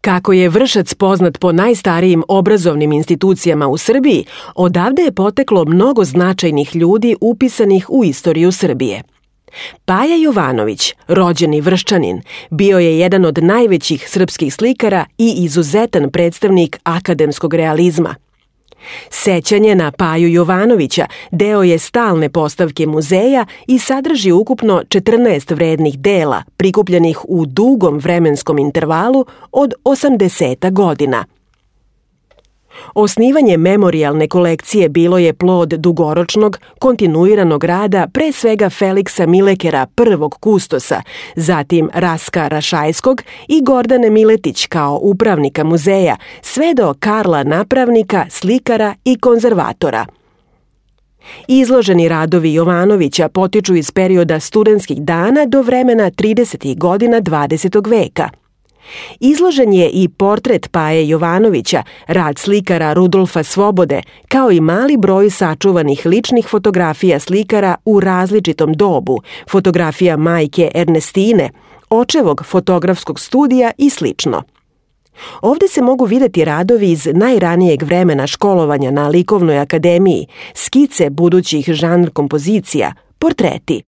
Kako je Vršac poznat po najstarijim obrazovnim institucijama u Srbiji, odavde je poteklo mnogo značajnih ljudi upisanih u istoriju Srbije. Paja Jovanović, rođeni Vrščanin, bio je jedan od najvećih srpskih slikara i izuzetan predstavnik akademskog realizma. Sećanje na Paju Jovanovića deo je stalne postavke muzeja i sadrži ukupno 14 vrednih dela prikupljenih u dugom vremenskom intervalu od 80 godina. Osnivanje memorijalne kolekcije bilo je plod dugoročnog, kontinuiranog rada pre svega Feliksa Milekera, prvog kustosa, zatim Raska Rašajskog i Gordane Miletić kao upravnika muzeja, sve do Karla Napravnika, slikara i konzervatora. Izloženi radovi Jovanovića potiču iz perioda studentskih dana do vremena 30. godina 20. veka. Izložen je i portret Paje Jovanovića, rad slikara Rudolfa Svobode, kao i mali broj sačuvanih ličnih fotografija slikara u različitom dobu, fotografija majke Ernestine, očevog fotografskog studija i slično. Ovde se mogu videti radovi iz najranijeg vremena školovanja na Likovnoj akademiji, skice budućih žanr kompozicija, portreti.